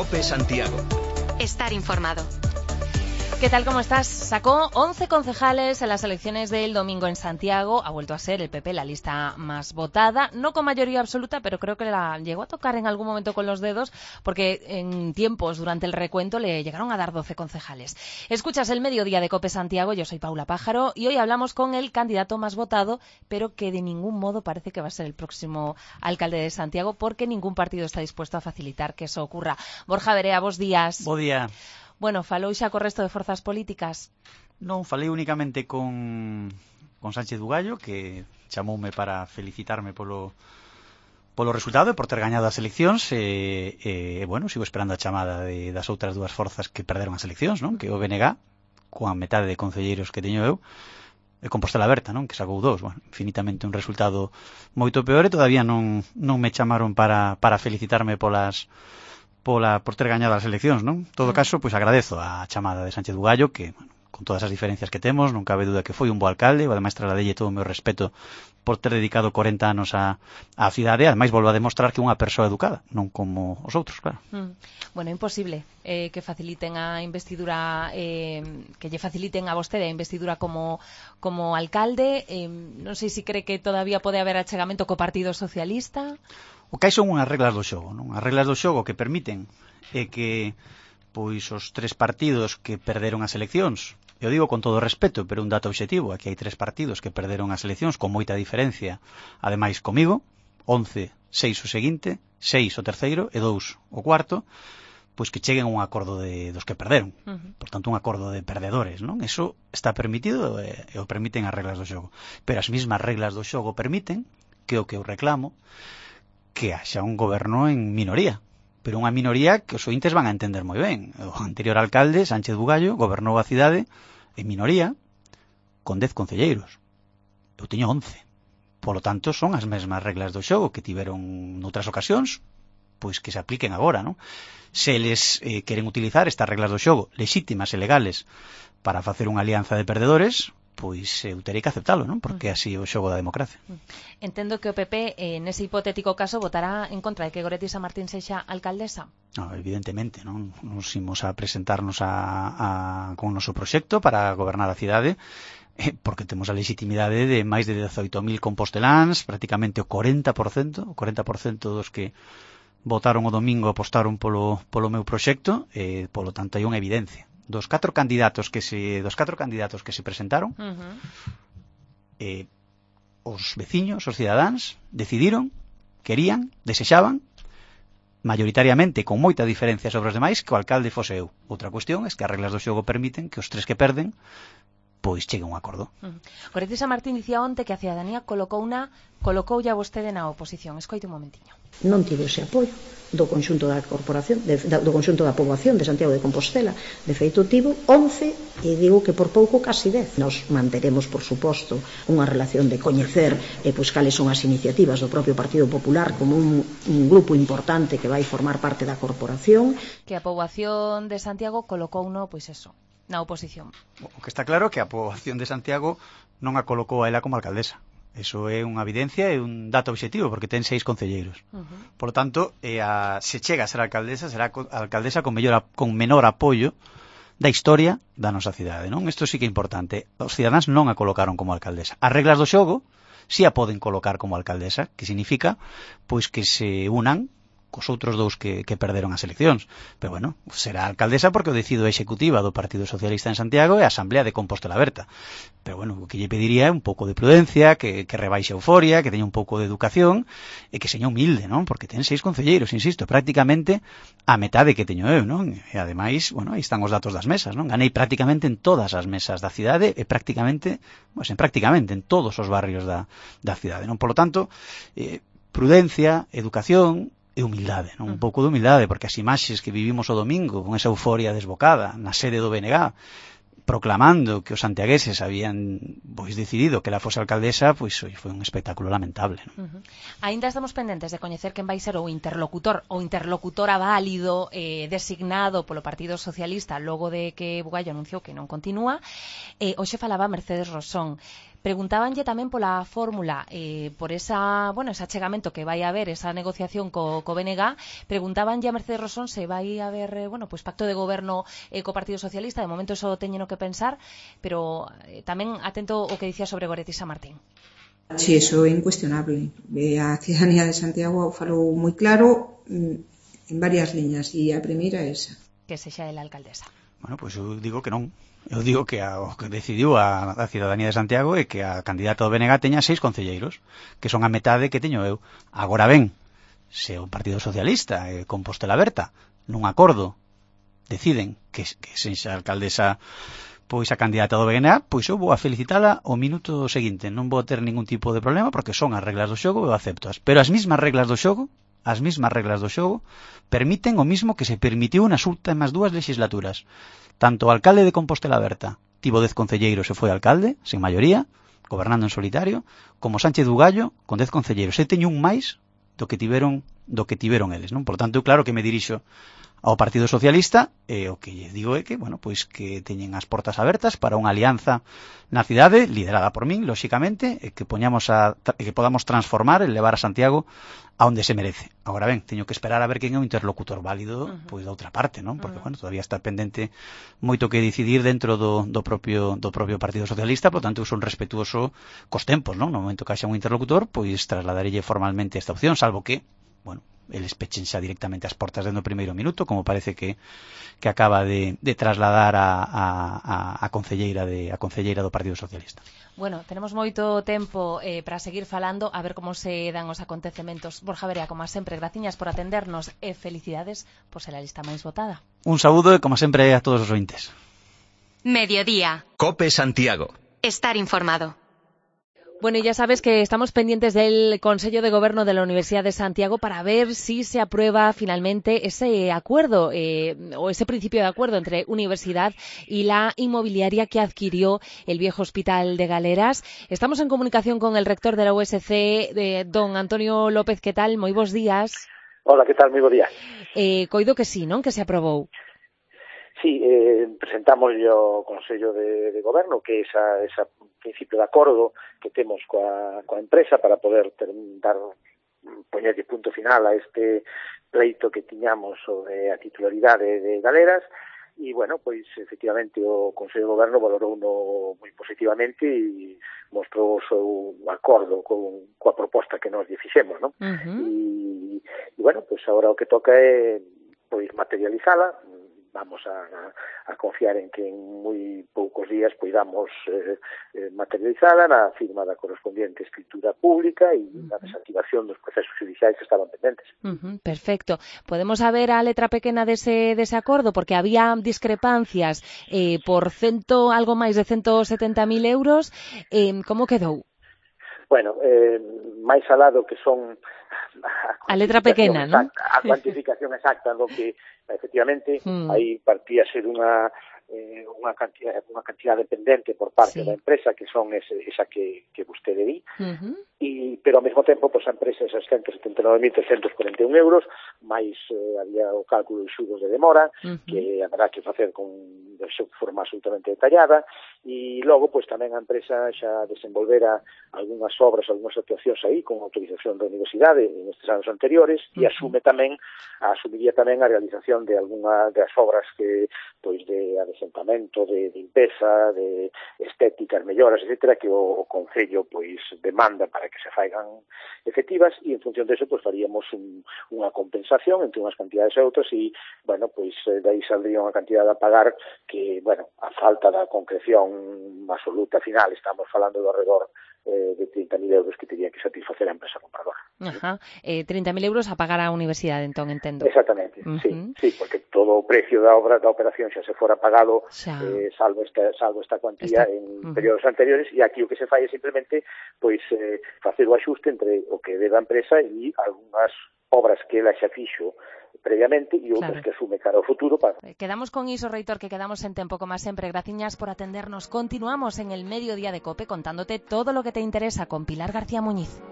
COPE Santiago. Estar informado. ¿Qué tal? ¿Cómo estás? Sacó 11 concejales en las elecciones del domingo en Santiago. Ha vuelto a ser el PP la lista más votada, no con mayoría absoluta, pero creo que la llegó a tocar en algún momento con los dedos, porque en tiempos durante el recuento le llegaron a dar 12 concejales. Escuchas el Mediodía de COPE Santiago, yo soy Paula Pájaro y hoy hablamos con el candidato más votado, pero que de ningún modo parece que va a ser el próximo alcalde de Santiago, porque ningún partido está dispuesto a facilitar que eso ocurra. Borja Verea, bos días. Bo día. Bueno, falou xa co resto de forzas políticas? Non, falei únicamente con Sánchez Bugallo, que chamoume para felicitarme polo resultado e por ter gañado as eleccións. Bueno, sigo esperando a chamada das outras dúas forzas que perderon as eleccións, non? Que o BNG, coa metade de concelleiros que teño eu, e Compostela Aberta, non? Que sacou 2. Bueno, infinitamente un resultado moito peor e todavía non me chamaron para felicitarme por ter gañado as eleccións, non? En todo caso, pois agradezo a chamada de Sánchez Bugallo, que, bueno, con todas as diferencias que temos, non cabe duda que foi un bo alcalde, e ademais trasladelle todo o meu respeto por ter dedicado 40 anos á cidade, ademais volvo a demostrar que é unha persoa educada, non como os outros, claro. Bueno, imposible que faciliten a investidura, que lle faciliten a vostede a investidura como alcalde. Non sei se cree que todavía pode haber achegamento co Partido Socialista. O que hai son unhas reglas do xogo, non? As reglas do xogo que permiten que pois os tres partidos que perderon as eleccións, eu digo con todo respeto, pero un dato obxectivo, aquí hai tres partidos que perderon as eleccións con moita diferencia, ademais comigo, 11, 6 o seguinte, 6 o terceiro e 2 o cuarto, pois que cheguen a un acordo dos que perderon. Por tanto, un acordo de perdedores, non? Eso está permitido e o permiten as reglas do xogo. Pero as mismas reglas do xogo permiten que o que eu reclamo que haxa un goberno en minoría, pero unha minoría que os ointes van a entender moi ben. O anterior alcalde, Sánchez Bugallo, gobernou a cidade en minoría con 10 concelleiros. Eu teño 11. Polo tanto, son as mesmas reglas do xogo que tiveron noutras ocasións, pois que se apliquen agora, non? Se eles queren utilizar estas reglas do xogo lexítimas e legales para facer unha alianza de perdedores, pois eu terei que aceptalo, non? Porque así é o xogo da democracia. Entendo que o PP, nese hipotético caso, votará en contra de que Goretti Samartín sexa alcaldesa. No, evidentemente, non? Nos imos a presentarnos con o noso proxecto para gobernar a cidade, porque temos a legitimidade de máis de 18.000 composteláns, prácticamente o 40% dos que votaron o domingo apostaron polo meu proxecto, polo tanto hai unha evidencia. Dos catro candidatos que se presentaron, os veciños, os cidadáns, decidiron, querían, desexaban, mayoritariamente, con moita diferencia sobre os demais, que o alcalde fose eu. Outra cuestión é que as reglas do xogo permiten que os tres que perden pois chegue a un acordo. Goretti Samartín dicía onte que a cidadanía colocoulle a vostede na oposición. Escoite un momentiño. Non tivo ese apoio do conxunto da corporación, do conxunto da poboación de Santiago de Compostela. De feito, tivo 11 e digo que por pouco casi 10. Nos manteremos, por suposto, unha relación de coñecer pois cales son as iniciativas do propio Partido Popular como un grupo importante que vai formar parte da corporación. Que a poboación de Santiago colocouno, pois eso, na oposición. O que está claro é que a poboación de Santiago non a colocou a ela como alcaldesa. Eso é unha evidencia e un dato obxectivo, porque ten 6 concelleiros. Por lo tanto, se chega a ser alcaldesa, será alcaldesa con menor apoio da historia da nosa cidade, non? Isto sí que é importante. Os cidadáns non a colocaron como alcaldesa. As reglas do xogo si a poden colocar como alcaldesa, que significa pois que se unan cos outros dous que perderon as eleccións. Pero bueno, será alcaldesa porque o decido a executiva do Partido Socialista en Santiago e a Asamblea de Compostela Aberta. Pero bueno, o que lle pediría é un pouco de prudencia, que rebaixe a euforia, que teña un pouco de educación e que seña humilde, non? Porque ten 6 concelleiros, insisto, prácticamente a metade que teño eu, non? E ademais, bueno, aí están os datos das mesas, non? Ganei prácticamente en todas as mesas da cidade e prácticamente en todos os barrios da cidade, non? Por lo tanto, prudencia, educación e humildade, non? Un pouco de humildade, porque as imaxes que vivimos o domingo con esa euforia desbocada na sede do BNG, proclamando que os santiagueses habían pois decidido que ela fose alcaldesa, pois foi un espectáculo lamentable, non? Aínda estamos pendentes de coñecer quen vai ser o interlocutor ou interlocutora válido designado polo Partido Socialista logo de que Bugallo anunciou que non continúa. Hoxe falaba Mercedes Rosón. Preguntábanlle tamén pola fórmula, por ese achegamento que vai haber, esa negociación co BNG, preguntábanlle a Mercedes Rosón se vai haber, pacto de goberno co Partido Socialista. De momento eso teñeno que pensar, pero tamén atento o que dicía sobre Goretti Samartín. Sí, eso é incuestionable. A ciudadanía de Santiago falou moi claro en varias liñas, e a primeira é esa. Que sexa ela alcaldesa. Bueno, pois eu digo que non. Eu digo que o que decidiu a ciudadanía de Santiago é que a candidata do BNG teña 6 concelleiros, que son a metade que teño eu. Agora ben, se o Partido Socialista e Compostela Berta nun acordo deciden que sexa alcaldesa pois a candidata do BNG, pois eu vou a felicitala o minuto seguinte. Non vou ter ningún tipo de problema porque son as reglas do xogo e eu aceptoas. Pero as mesmas reglas do xogo permiten o mismo que se permitiu nas últimas 2 legislaturas. Tanto o alcalde de Compostela Berta tivo 10 concelleiros e foi alcalde, sen maioría, gobernando en solitario, como Sánchez Bugallo, con 10 concelleiros. E teño un máis do que tiveron eles, non? Por tanto, claro que me dirixo ao Partido Socialista, e o que lle digo é que, pois que teñen as portas abertas para unha alianza na cidade, liderada por min, lóxicamente, e que podamos transformar e levar a Santiago a onde se merece. Agora ben, teño que esperar a ver quen é o interlocutor válido pois da outra parte, non? Porque, todavía está pendente moito que decidir dentro do propio Partido Socialista, por tanto, eu son respetuoso cos tempos, non? No momento que haxa un interlocutor, pois trasladarelle formalmente esta opción, salvo que, eles pechen xa directamente as portas dentro do primeiro minuto, como parece que acaba de trasladar a concelleira do Partido Socialista. Bueno, tenemos moito tempo para seguir falando, a ver como se dan os acontecementos. Borja Verea, como sempre, graciñas por atendernos e felicidades por ser a lista máis votada. Un saúdo e, como sempre, a todos os ointes. Mediodía. COPE Santiago. Estar informado. Bueno, y ya sabes que estamos pendientes del Consejo de Gobierno de la Universidad de Santiago para ver si se aprueba finalmente ese acuerdo o ese principio de acuerdo entre universidad y la inmobiliaria que adquirió el viejo Hospital de Galeras. Estamos en comunicación con el rector de la USC, don Antonio López. ¿Qué tal? Moi bons días. Hola, ¿qué tal? Moi bons días. Coido que sí, non? Que se aprobou. Sí, presentamos o Consello de Goberno que ese principio de acordo que temos coa empresa para poder poñerlle punto final a este pleito que tiñamos sobre a titularidade de Galeras. E, pois, efectivamente, o Consello de Goberno valorouno moi positivamente e mostrou o seu acordo coa proposta que nos lle fixemos, non? E, pois, agora o que toca é pois materializala. Vamos a confiar en que en moi poucos días poidamos materializala na firma da correspondiente escritura pública e na desactivación dos procesos judiciais que estaban pendentes. Perfecto. Podemos saber a letra pequena dese acordo? Porque había discrepancias por algo máis de 170.000 euros. Como quedou? Bueno, máis alado que son a letra pequena, non? A cuantificación exacta do que efectivamente aí partía ser unha cantidade pendente por parte da empresa, que son esa que vostede di, pero ao mesmo tempo a empresa esas 179.341 euros, máis había o cálculo de xuros de demora, que haberá que facer de forma absolutamente detallada, e logo tamén a empresa xa desenvolvera algunhas obras, algunhas actuacións aí con autorización da universidade en estes anos anteriores, e asumiría tamén a realización de algunha das obras que de adesentamento, de limpeza, de estéticas, melloras, etcétera, que o Concello demanda para que se faigan efectivas, e en función deso faríamos unha compensación entre unhas cantidades e outras, e dai saldría unha cantidade a pagar que, a falta da concreción absoluta final, estamos falando do alrededor de 30.000 euros que tería que satisfacer a empresa compradora. 30.000 euros a pagar á universidade, entón, entendo. Exactamente, sí, porque todo o precio da operación xa se fora pagado, salvo esta cuantía en períodos anteriores, e aquí o que se fai é simplemente facer o axuste entre o que debe a empresa e algunhas obras que ela xa fixo previamente e outras que asume cara ao futuro. Quedamos con iso, reitor, que quedamos en tempo, como sempre. Graciñas por atendernos. Continuamos en el Mediodía de COPE contándote todo lo que te interesa con Pilar García Muñiz.